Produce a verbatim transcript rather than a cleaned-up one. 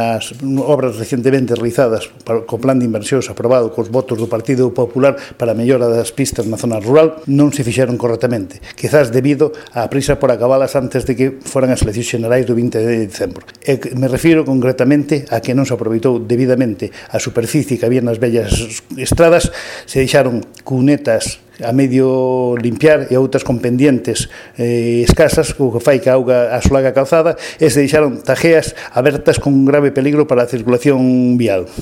As obras recentemente realizadas co plan de inversións aprobado cos votos do Partido Popular para a mellora das pistas na zona rural non se fixeron correctamente, quizás debido á prisa por acabalas antes de que foran as eleccións xerais do vinte de dezembro. E me refiro concretamente a que non se aproveitou debidamente a superficie que había nas vellas estradas, se deixaron cunetas a medio limpiar e outras con pendientes eh, escasas, o que fai que a auga asolaga a calzada, e se deixaron tajeas abertas con un grave peligro para a circulación vial.